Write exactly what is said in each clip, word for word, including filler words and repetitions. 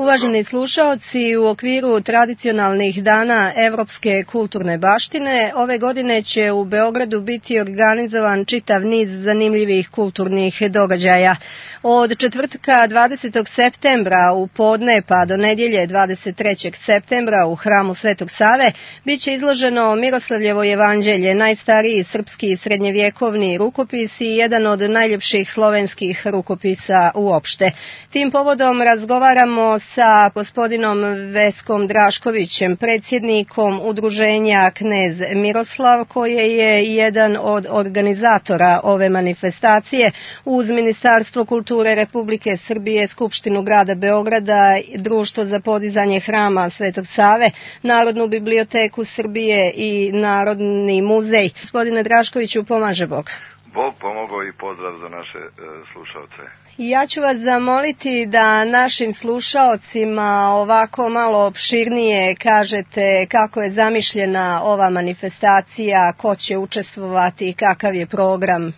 Uvaženi slušaoci, u okviru tradicionalnih dana Evropske kulturne baštine, ove godine će u Beogradu biti organizovan čitav niz zanimljivih kulturnih događaja. Od četvrtka dvadesetog septembra u podne pa do nedjelje dvadeset trećeg septembra u hramu Svetog Save biće izloženo Miroslavljevo jevanđelje, najstariji srpski srednjevjekovni rukopis i jedan od najljepših slovenskih rukopisa uopšte. Tim povodom razgovaramo sa gospodinom Veskom Draškovićem, predsjednikom udruženja Knez Miroslav, koje je jedan od organizatora ove manifestacije uz Ministarstvo kulture Republike Srbije, Skupštinu grada Beograda, Društvo za podizanje hrama Svetog Save, Narodnu biblioteku Srbije i Narodni muzej. Gospodine Draškoviću, pomaže Bog. Bog pomogao i pozdrav za naše e, slušalce. Ja ću vas zamoliti da našim slušaocima ovako malo opširnije kažete kako je zamišljena ova manifestacija, ko će učestvovati i kakav je program.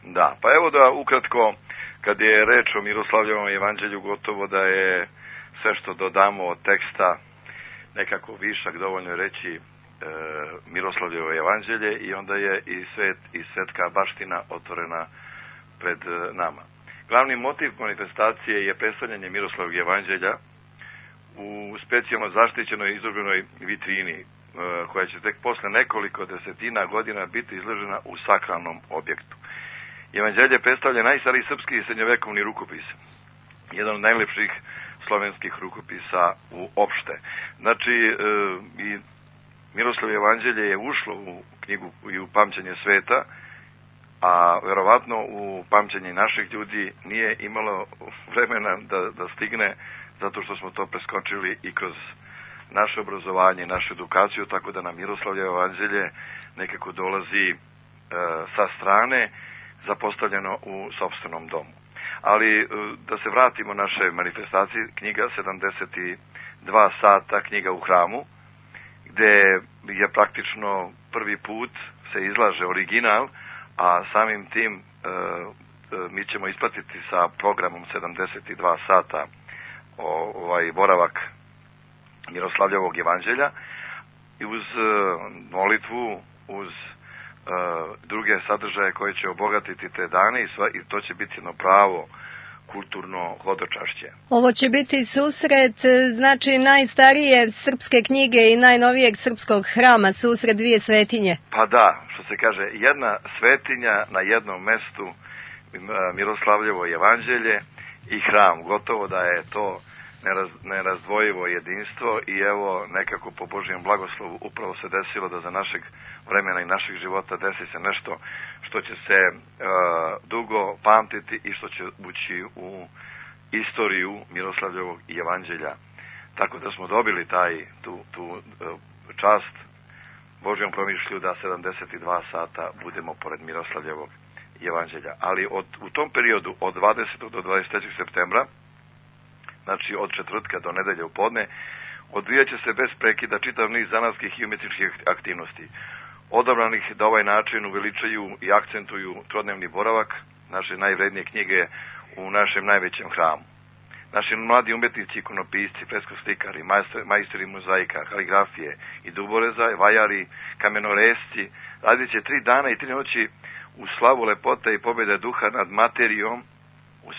Da, pa evo da ukratko, kad je reč o Miroslavljevom evanđelju, gotovo da je sve što dodamo od teksta nekako višak, dovoljno je reći Miroslavljevo evanđelje i onda je i svet i svetska baština otvorena pred nama. Glavni motiv manifestacije je predstavljanje Miroslavljevog evanđelja u specijalno zaštićenoj izloženoj vitrini koja će tek posle nekoliko desetina godina biti izložena u sakralnom objektu. Evanđelje predstavlja najstariji srpski i srednjovekovni rukopis, jedan od najlepših slovenskih rukopisa uopšte. Znači, i Miroslavljevo evanđelje je ušlo u knjigu i u pamćenje sveta, a verovatno u pamćenje naših ljudi nije imalo vremena da, da stigne, zato što smo to preskočili i kroz naše obrazovanje, našu edukaciju, tako da nam Miroslavljevo evanđelje nekako dolazi e, sa strane, zapostavljeno u sopstvenom domu. Ali e, da se vratimo našoj manifestaciji, knjiga sedamdeset dva sata, knjiga u hramu, gde je praktično prvi put se izlaže original, a samim tim e, mi ćemo ispratiti sa programom sedamdeset dva sata ovaj boravak Miroslavljevog evanđelja i uz e, molitvu, uz e, druge sadržaje koje će obogatiti te dane i, sva, i to će biti jedno pravo kulturno hodočašće. Ovo će biti susret, znači, najstarije srpske knjige i najnovijeg srpskog hrama, susret dvije svetinje. Pa da, što se kaže, jedna svetinja na jednom mestu, Miroslavljevo evanđelje i hram. Gotovo da je to neraz, nerazdvojivo jedinstvo i evo nekako po Božijem blagoslovu upravo se desilo da za našeg vremena i našeg života desi se nešto što će se uh, dugo pamtiti i što će ući u istoriju Miroslavljevog evanđelja. Tako da smo dobili taj, tu, tu uh, čast Božjom promišlju da sedamdeset dva sata budemo pored Miroslavljevog evanđelja. Ali od, u tom periodu od dvadesetog do dvadeset trećeg septembra, znači od četvrtka do nedelje u podne, odvijat će se bez prekida čitav niz zanatskih i umjetničkih aktivnosti, odabranih da ovaj način uveličaju i akcentuju trodnevni boravak naše najvrednije knjige u našem najvećem hramu. Naši mladi umjetnici, ikonopisci, freskoslikari, majstori mozaika, kaligrafije i duboreza, vajari, kamenoresci, radit će tri dana i tri noći u slavu lepote i pobjede duha nad materijom u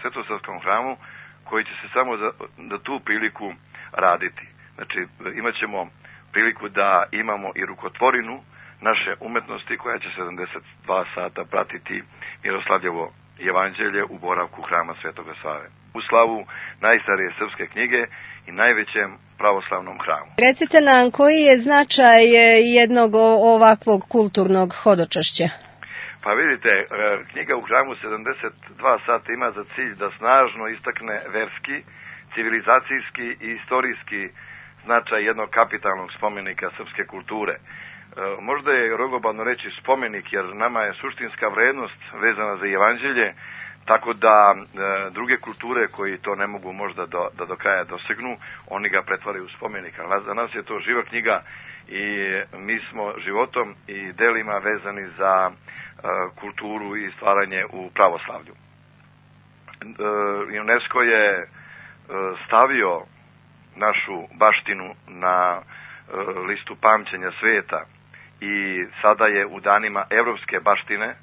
Svetosavskom hramu, koji će se samo za, za tu priliku raditi. Znači, imat ćemo priliku da imamo i rukotvorinu naše umetnosti koja će sedamdeset dva sata pratiti Miroslavljevo evanđelje u boravku hrama Svetoga Save. U slavu najstarije srpske knjige i najvećem pravoslavnom hramu. Recite nam, koji je značaj jednog ovakvog kulturnog hodočašća? Pa vidite, knjiga u hramu sedamdeset dva sata ima za cilj da snažno istakne verski, civilizacijski i istorijski značaj jednog kapitalnog spomenika srpske kulture. Možda je rogobavno reći spomenik, jer nama je suštinska vrednost vezana za evanđelje, tako da e, druge kulture koji to ne mogu možda do, da do kraja dosegnu, oni ga pretvaraju u spomenik. Ali za nas je to živa knjiga i mi smo životom i delima vezani za e, kulturu i stvaranje u pravoslavlju. E, UNESCO je stavio našu baštinu na listu pamćenja sveta i sada je u danima evropske baštine,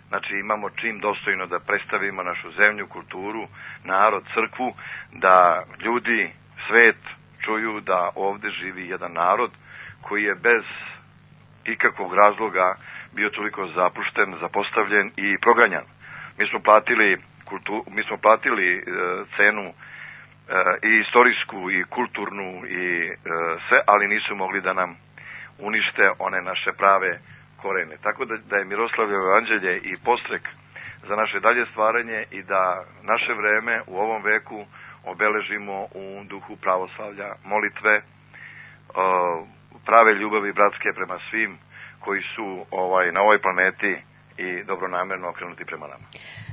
znači imamo čim dostojno da predstavimo našu zemlju, kulturu, narod, crkvu, da ljudi, svet čuju da ovde živi jedan narod koji je bez ikakvog razloga bio toliko zapušten, zapostavljen i proganjan. Mi smo platili, kultu, mi smo platili e, cenu e, i istorijsku i kulturnu i e, sve, ali nisu mogli da nam unište one naše prave korene. Tako da, da je Miroslavljevo evanđelje i podstrek za naše dalje stvaranje i da naše vreme u ovom veku obeležimo u duhu pravoslavlja, molitve, prave ljubavi bratske prema svim koji su ovaj na ovoj planeti i dobronamerno okrenuti prema nama.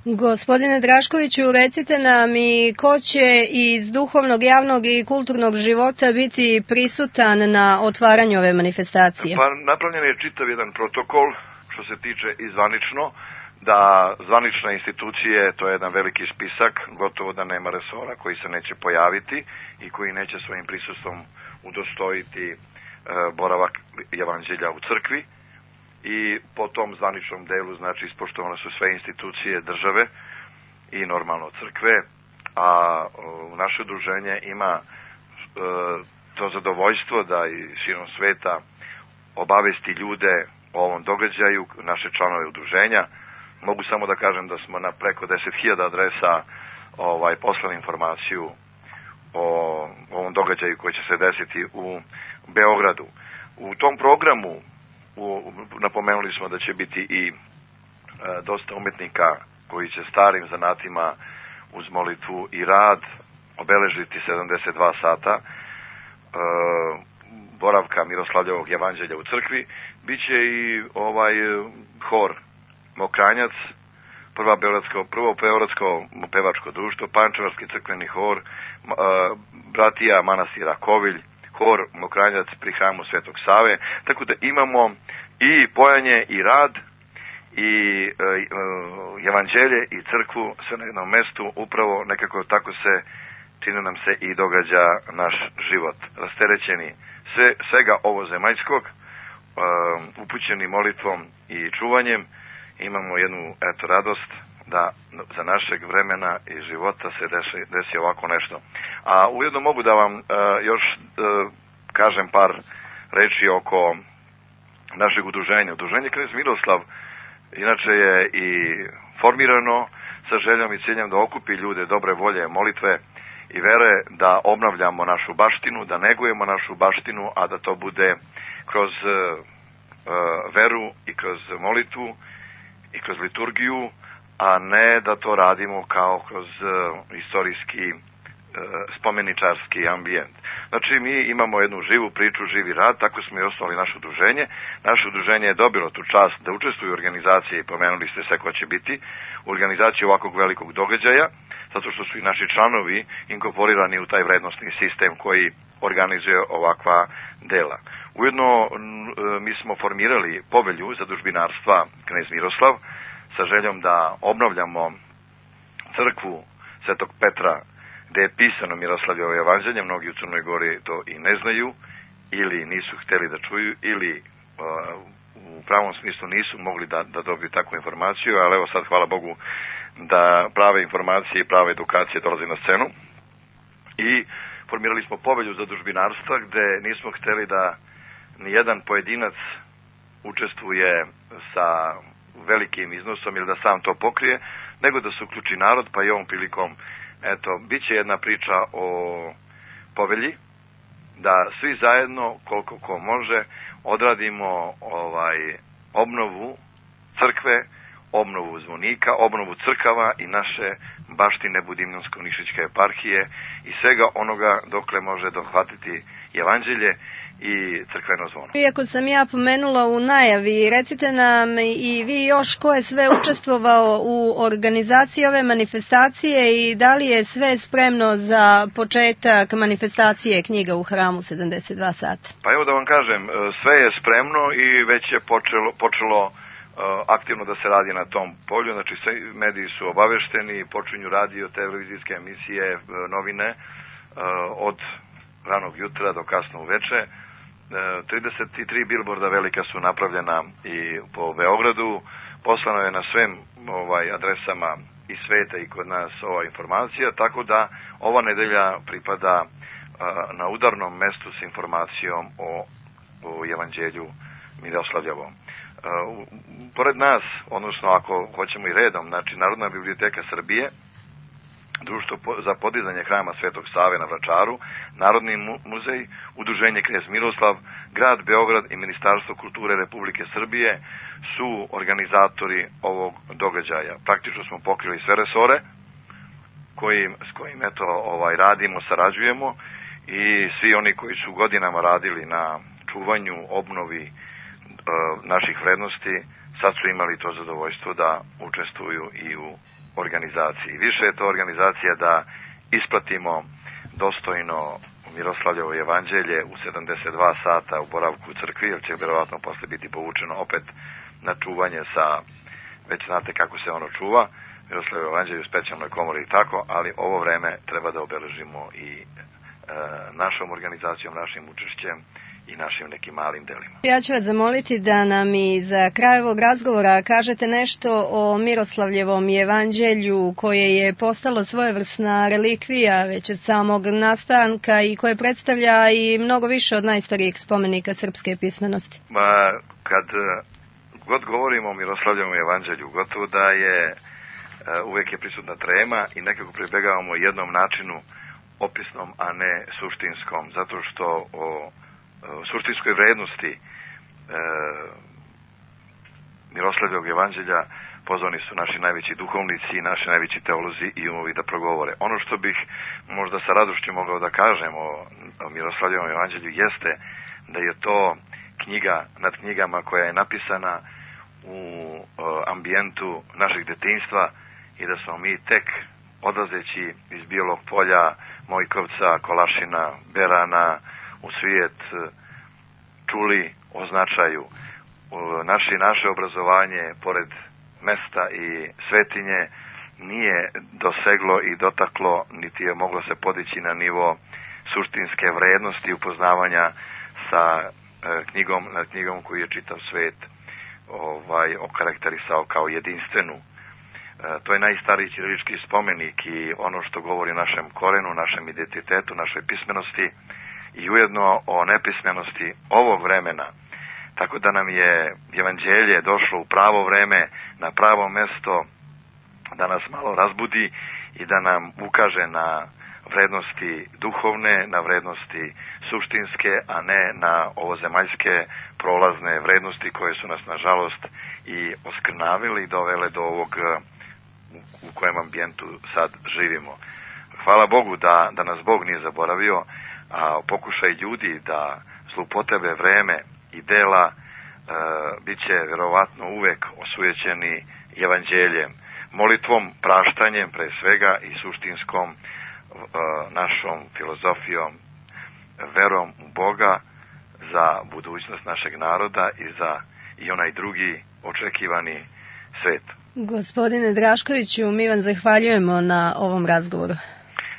Gospodine Draškoviću, recite nam i ko će iz duhovnog, javnog i kulturnog života biti prisutan na otvaranju ove manifestacije? Pa napravljen je čitav jedan protokol što se tiče i zvanično, da zvanične institucije, to je jedan veliki spisak, gotovo da nema resora koji se neće pojaviti i koji neće svojim prisustvom udostojiti e, boravak evanđelja u crkvi. I po tom zvaničnom delu, znači, ispoštovane su sve institucije države i normalno crkve, a o, naše udruženje ima e, to zadovoljstvo da i širom sveta obavesti ljude o ovom događaju, naše članove udruženja. Mogu samo da kažem da smo na preko deset hiljada adresa ovaj, poslali informaciju o ovom događaju koji će se desiti u Beogradu. U tom programu u, napomenuli smo da će biti i e, dosta umetnika koji će starim zanatima uz molitvu i rad obeležiti sedamdeset dva sata e, boravka Miroslavljevog evanđelja u crkvi. Biće i ovaj hor Mokranjac, prva beogradsko, prvo beogradsko pevačko društvo, Pančevarski crkveni hor, e, bratija manastira Kovilj, hor Mokranjac pri hramu Svetog Save, tako da imamo i pojanje i rad i e, e, evanđelje i crkvu sve na jednom mestu, upravo nekako tako se čini nam se i događa naš život. Rasterećeni sve, svega ovozemaljskog, e, upućeni molitvom i čuvanjem, imamo jednu eto radost da za našeg vremena i života se desi, desi ovako nešto. A ujedno mogu da vam uh, još uh, kažem par reči oko našeg udruženja. Udruženje Knez Miroslav inače je i formirano sa željom i ciljem da okupi ljude dobre volje, molitve i vere, da obnavljamo našu baštinu, da negujemo našu baštinu, a da to bude kroz uh, uh, veru i kroz molitvu i kroz liturgiju, a ne da to radimo kao kroz uh, istorijski uh, spomeničarski ambijent. Znači, mi imamo jednu živu priču, živi rad, tako smo i osnovali naše udruženje. Naše udruženje je dobilo tu čast da učestvuje u organizaciji, pomenuli ste sve ko će biti, u organizaciji ovakvog velikog događaja, zato što su i naši članovi inkorporirani u taj vrednostni sistem koji organizuje ovakva dela. Ujedno, mi smo formirali povelju zadužbinarstva Knez Miroslav sa željom da obnavljamo crkvu Svetog Petra, gde je pisano Miroslavljevo evanđelje. Mnogi u Crnoj Gori to i ne znaju, ili nisu hteli da čuju, ili uh, u pravom smislu nisu mogli da, da dobiju takvu informaciju, ali evo sad, hvala Bogu, da prave informacije i prave edukacije dolaze na scenu. I formirali smo povelju zadužbinarstva, gde nismo hteli da nijedan pojedinac učestvuje sa velikim iznosom ili da sam to pokrije, nego da se uključi narod, pa i ovom prilikom, eto, bit će jedna priča o povelji, da svi zajedno, koliko ko može, odradimo ovaj obnovu crkve, obnovu zvonika, obnovu crkava i naše baštine Budimljansko-Nišićke eparhije i svega onoga dokle može dohvatiti evanđelje i crkveno zvono. Iako sam ja pomenula u najavi, recite nam i vi još ko je sve učestvovao u organizaciji ove manifestacije i da li je sve spremno za početak manifestacije knjiga u hramu sedamdeset dva sata? Pa evo da vam kažem, sve je spremno i već je počelo, počelo aktivno da se radi na tom polju, znači sve mediji su obavešteni, počinju radio, televizijske emisije, novine od ranog jutra do kasno uveče. trideset tri bilborda velika su napravljena i po Beogradu, poslano je na svim ovaj, adresama i sveta i kod nas ova informacija, tako da ova nedelja pripada a, na udarnom mestu s informacijom o, o Evanđelju Miroslavljevom. Uh, pored nas, odnosno ako hoćemo i redom, znači Narodna biblioteka Srbije, Društvo za podizanje hrama Svetog Save na Vračaru, Narodni muzej, Udruženje Knez Miroslav, Grad Beograd i Ministarstvo kulture Republike Srbije su organizatori ovog događaja. Praktično smo pokrili sve resore kojim, s kojim eto, ovaj, radimo, sarađujemo i svi oni koji su godinama radili na čuvanju, obnovi naših vrednosti, sad su imali to zadovoljstvo da učestvuju i u organizaciji. Više je to organizacija da ispratimo dostojno Miroslavljevo evanđelje u sedamdeset dva sata u boravku u crkvi, jer će vjerovatno posle biti povučeno opet na čuvanje sa, već znate kako se ono čuva, Miroslavljevo evanđelje u specijalnoj komori i tako, ali ovo vreme treba da obeležimo i e, našom organizacijom, našim učešćem i našim nekim malim delima. Ja ću vas zamoliti da nam i za kraj ovog razgovora kažete nešto o Miroslavljevom evanđelju koje je postalo svojevrsna relikvija već od samog nastanka i koje predstavlja i mnogo više od najstarijih spomenika srpske pismenosti. Ma, kad god govorimo o Miroslavljevom evanđelju, gotovo da je uvek je prisutna trema i nekako pribegavamo jednom načinu opisnom, a ne suštinskom, zato što o suštinskoj vrednosti e, Miroslavljevog evanđelja pozvani su naši najveći duhovnici i naši najveći teolozi i umovi da progovore. Ono što bih možda sa radošću mogao da kažem o, o Miroslavljevom evanđelju jeste da je to knjiga nad knjigama koja je napisana u o, ambijentu našeg detinjstva i da smo mi tek odlazeći iz Bijelog polja, Mojkovca, Kolašina, Berana, u svijet čuli o značaju. Naše, naše obrazovanje, pored mesta i svetinje, nije doseglo i dotaklo, niti je moglo se podići na nivo suštinske vrednosti upoznavanja sa knjigom, nad knjigom koju je čitav svet ovaj, okarakterisao kao jedinstvenu. To je najstariji ćirilički spomenik i ono što govori o našem korenu, našem identitetu, našoj pismenosti i ujedno o nepismenosti ovog vremena. Tako da nam je evanđelje došlo u pravo vreme, na pravo mesto, da nas malo razbudi i da nam ukaže na vrednosti duhovne, na vrednosti suštinske, a ne na ovozemaljske prolazne vrednosti koje su nas, nažalost, i oskrnavili i dovele do ovog u kojem ambijentu sad živimo. Hvala Bogu da, da nas Bog nije zaboravio, a pokušaj ljudi da zloupotrebe vreme i dela e, bit će vjerovatno uvek osujećeni evanđeljem, molitvom, praštanjem pre svega i suštinskom e, našom filozofijom, verom u Boga za budućnost našeg naroda i za i onaj drugi očekivani svet. Gospodine Draškoviću, mi vam zahvaljujemo na ovom razgovoru.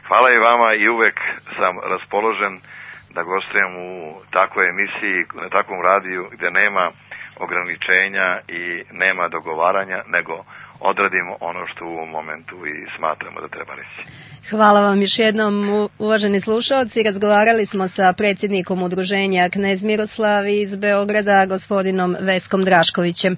Hvala i vama i uvek sam raspoložen da gostujem u takvoj emisiji, na takvom radiju gdje nema ograničenja i nema dogovaranja, nego odradimo ono što u ovom momentu i smatramo da treba reći. Hvala vam još jednom, uvaženi slušalci. Razgovarali smo sa predsjednikom udruženja Knez Miroslav iz Beograda, gospodinom Veskom Draškovićem.